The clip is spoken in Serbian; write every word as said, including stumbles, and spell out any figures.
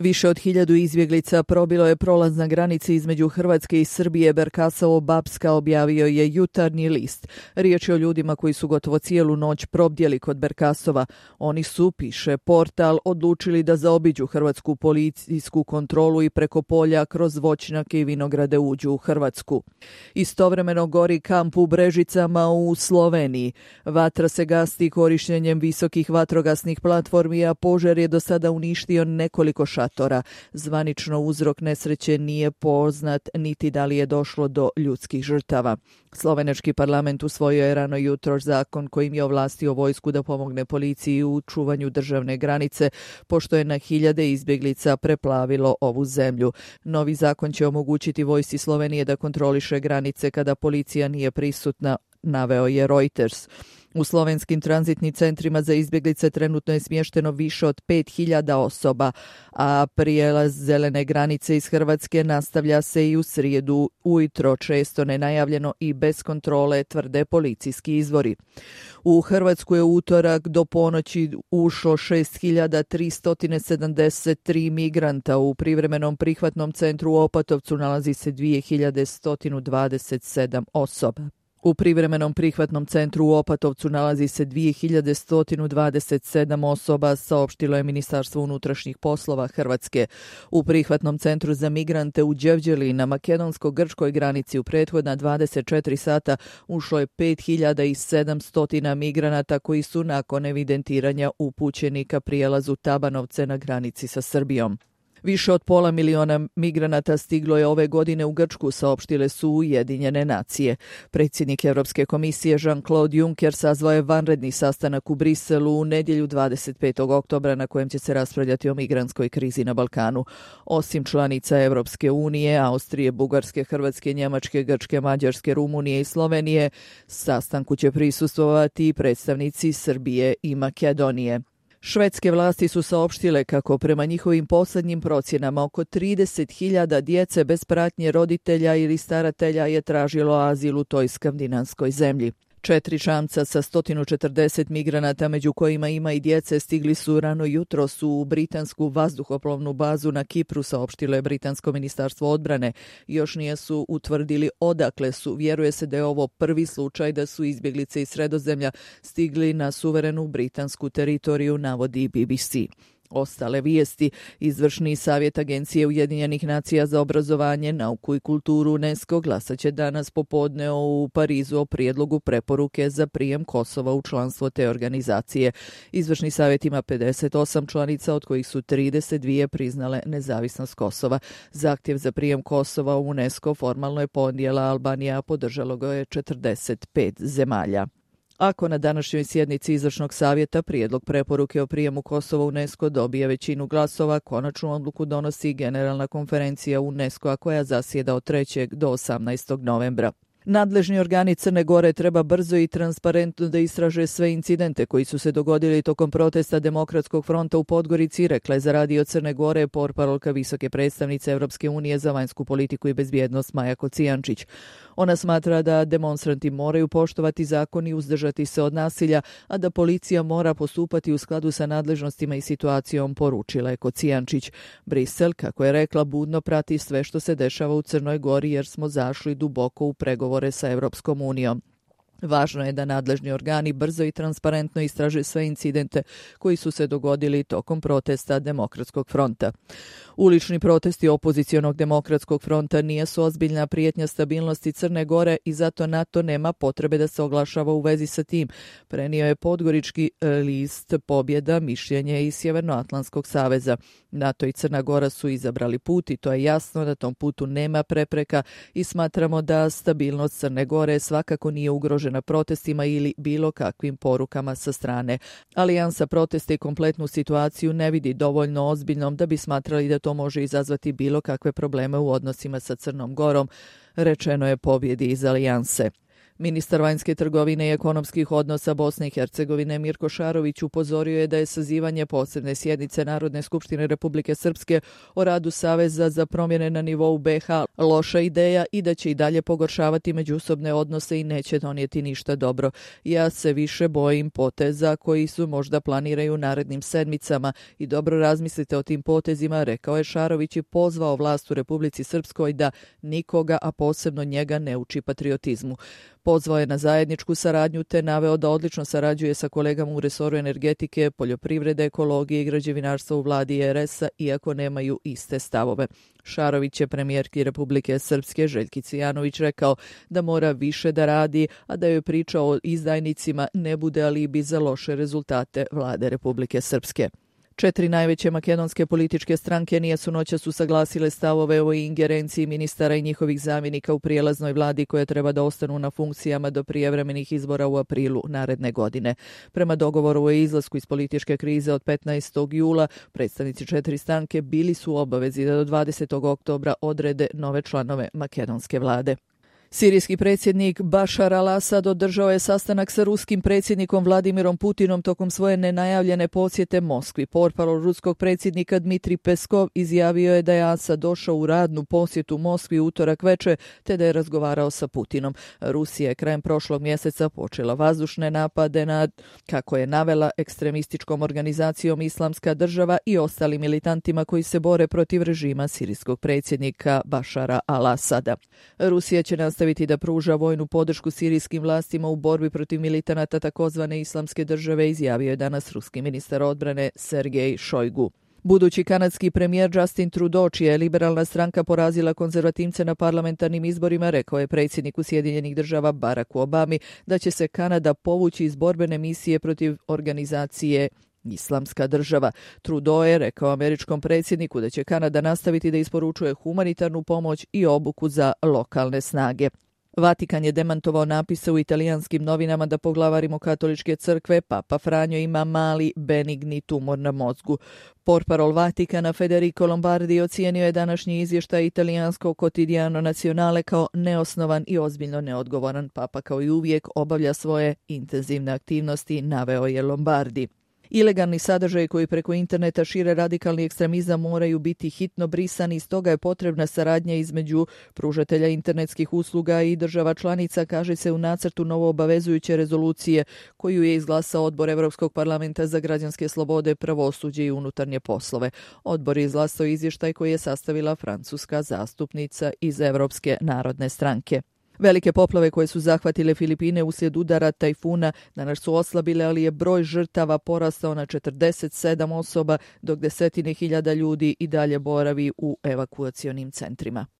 Više od hiljadu izbjeglica probilo je prolaz na granici između Hrvatske i Srbije. Berkasovo-Bapska, objavio je Jutarnji list. Riječ je o ljudima koji su gotovo cijelu noć probdjeli kod Berkasova. Oni su, piše portal, odlučili da zaobiđu hrvatsku policijsku kontrolu i preko polja kroz voćnjake i vinograde uđu u Hrvatsku. Istovremeno gori kamp u Brežicama u Sloveniji. Vatra se gasti korištenjem visokih vatrogasnih platformi, a požar je do sada uništio nekoliko šatora. Zvanično uzrok nesreće nije poznat, niti da li je došlo do ljudskih žrtava. Slovenački parlament usvojio je rano jutros zakon kojim je ovlastio vojsku da pomogne policiji u čuvanju državne granice, pošto je na hiljade izbjeglica preplavilo ovu zemlju. Novi zakon će omogućiti vojsci Slovenije da kontroliše granice kada policija nije prisutna, naveo je Reuters. U slovenskim tranzitnim centrima za izbjeglice trenutno je smješteno više od pet hiljada osoba, a prijelaz zelene granice iz Hrvatske nastavlja se i u srijedu ujutro, često nenajavljeno i bez kontrole, tvrde policijski izvori. U Hrvatsku je utorak do ponoći ušlo šest hiljada tristo sedamdeset tri migranta. U privremenom prihvatnom centru u Opatovcu nalazi se dvije hiljade sto dvadeset sedam osoba. U privremenom prihvatnom centru u Opatovcu nalazi se dvije hiljade sto dvadeset sedam osoba, saopštilo je Ministarstvo unutrašnjih poslova Hrvatske. U prihvatnom centru za migrante u Đevđeli na makedonsko-grčkoj granici u prethodna dvadeset četiri sata ušlo je pet hiljada sedamsto migranata koji su nakon evidentiranja upućeni ka prijelazu Tabanovce na granici sa Srbijom. Više od pola miliona migranata stiglo je ove godine u Grčku, saopštile su Ujedinjene nacije. Predsjednik Europske komisije Jean-Claude Juncker sazvao je vanredni sastanak u Briselu u nedjelju dvadeset petog oktobra na kojem će se raspravljati o migrantskoj krizi na Balkanu. Osim članica Europske unije, Austrije, Bugarske, Hrvatske, Njemačke, Grčke, Mađarske, Rumunije i Slovenije, sastanku će prisustvovati i predstavnici Srbije i Makedonije. Švedske vlasti su saopštile kako prema njihovim posljednjim procjenama oko trideset hiljada djece bez pratnje roditelja ili staratelja je tražilo azil u toj skandinavskoj zemlji. Četiri čamca sa sto četrdeset migranata, među kojima ima i djece, stigli su rano jutros u britansku vazduhoplovnu bazu na Kipru, saopštilo je britansko ministarstvo odbrane. Još nije su utvrdili odakle su. Vjeruje se da je ovo prvi slučaj da su izbjeglice iz Sredozemlja stigli na suverenu britansku teritoriju, navodi B B C. Ostale vijesti. Izvršni savjet Agencije Ujedinjenih nacija za obrazovanje, nauku i kulturu UNESCO glasat će danas popodne u Parizu o prijedlogu preporuke za prijem Kosova u članstvo te organizacije. Izvršni savjet ima pedeset osam članica, od kojih su trideset dvije priznale nezavisnost Kosova. Zahtjev za prijem Kosova u UNESCO formalno je podnijela Albanija, a podržalo ga je četrdeset pet zemalja. Ako na današnjoj sjednici Izvršnog savjeta prijedlog preporuke o prijemu Kosova u UNESCO dobije većinu glasova, konačnu odluku donosi Generalna konferencija UNESCO-a koja zasjeda od trećeg do osamnaestog novembra. Nadležni organi Crne Gore treba brzo i transparentno da istraže sve incidente koji su se dogodili tokom protesta Demokratskog fronta u Podgorici, rekla je za radio Crne Gore portparolka visoke predstavnice Europske unije za vanjsku politiku i bezbjednost Maja Kocijančić. Ona smatra da demonstranti moraju poštovati zakon i uzdržati se od nasilja, a da policija mora postupati u skladu sa nadležnostima i situacijom, poručila je Kocijančić. Brisel, kako je rekla, budno prati sve što se dešava u Crnoj Gori jer smo zašli duboko u pregovore sa Europskom unijom. Važno je da nadležni organi brzo i transparentno istraže sve incidente koji su se dogodili tokom protesta Demokratskog fronta. Ulični protesti opozicionog Demokratskog fronta nisu ozbiljna prijetnja stabilnosti Crne Gore i zato NATO nema potrebe da se oglašava u vezi sa tim, prenio je podgorički list Pobjeda mišljenje iz Sjevernoatlantskog saveza. NATO i Crna Gora su izabrali put i to je jasno, na tom putu nema prepreka i smatramo da stabilnost Crne Gore svakako nije ugrožena protestima ili bilo kakvim porukama sa strane. Alijansa proteste i kompletnu situaciju ne vidi dovoljno ozbiljnom da bi smatrali da to može izazvati bilo kakve probleme u odnosima sa Crnom Gorom, rečeno je Pobjedi iz Alijanse. Ministar vanjske trgovine i ekonomskih odnosa Bosne i Hercegovine Mirko Šarović upozorio je da je sazivanje posebne sjednice Narodne skupštine Republike Srpske o radu Saveza za promjene na nivou be ha loša ideja i da će i dalje pogoršavati međusobne odnose i neće donijeti ništa dobro. Ja se više bojim poteza koji su možda planiraju narednim sedmicama i dobro razmislite o tim potezima, rekao je Šarović i pozvao vlast u Republici Srpskoj da nikoga, a posebno njega, ne uči patriotizmu. Pozvao je na zajedničku saradnju te naveo da odlično sarađuje sa kolegama u resoru energetike, poljoprivrede, ekologije i građevinarstva u vladi er es a, iako nemaju iste stavove. Šarović je premijerki Republike Srpske Željki Cvijanović rekao da mora više da radi, a da joj priča o izdajnicima ne bude alibi za loše rezultate vlade Republike Srpske. Četiri najveće makedonske političke stranke nisu noćas usaglasile stavove o ingerenciji ministara i njihovih zamjenika u prijelaznoj vladi koje treba da ostanu na funkcijama do prijevremenih izbora u aprilu naredne godine. Prema dogovoru o izlasku iz političke krize od petnaestog jula, predstavnici četiri stranke bili su u obavezi da do dvadesetog oktobra odrede nove članove makedonske vlade. Sirijski predsjednik Bašar al-Asad održao je sastanak sa ruskim predsjednikom Vladimirom Putinom tokom svoje nenajavljene posjete Moskvi. Portparol ruskog predsjednika Dmitrij Peskov izjavio je da je Asad došao u radnu posjetu Moskvi utorak veče te da je razgovarao sa Putinom. Rusija je krajem prošlog mjeseca počela vazdušne napade nad, kako je navela, ekstremističkom organizacijom Islamska država i ostalim militantima koji se bore protiv režima sirijskog predsjednika Bašara al-Asada. Rusija će nastaviti nastaviti da pruža vojnu podršku sirijskim vlastima u borbi protiv militanata takozvane Islamske države, izjavio je danas ruski ministar odbrane Sergej Šojgu. Budući kanadski premijer Justin Trudeau, čija je liberalna stranka porazila konzervativce na parlamentarnim izborima, rekao je predsjedniku Sjedinjenih država Baracku Obami da će se Kanada povući iz borbene misije protiv organizacije Islamska država. Trudeau je rekao američkom predsjedniku da će Kanada nastaviti da isporučuje humanitarnu pomoć i obuku za lokalne snage. Vatikan je demantovao napise u italijanskim novinama da poglavar Rimokatoličke crkve Papa Franjo ima mali benigni tumor na mozgu. Portparol Vatikana Federico Lombardi ocijenio je današnji izvještaj italijanskog Quotidiano Nazionale kao neosnovan i ozbiljno neodgovoran. Papa kao i uvijek obavlja svoje intenzivne aktivnosti, naveo je Lombardi. Ilegalni sadržaji koji preko interneta šire radikalni ekstremizam moraju biti hitno brisani, stoga je potrebna saradnja između pružatelja internetskih usluga i država članica, kaže se u nacrtu novo obavezujuće rezolucije koju je izglasao Odbor Evropskog parlamenta za građanske slobode, pravosuđe i unutarnje poslove. Odbor je izglasao izvještaj koji je sastavila francuska zastupnica iz Evropske narodne stranke. Velike poplave koje su zahvatile Filipine uslijed udara tajfuna danas su oslabile, ali je broj žrtava porastao na četrdeset sedam osoba, dok desetine hiljada ljudi i dalje boravi u evakuacionim centrima.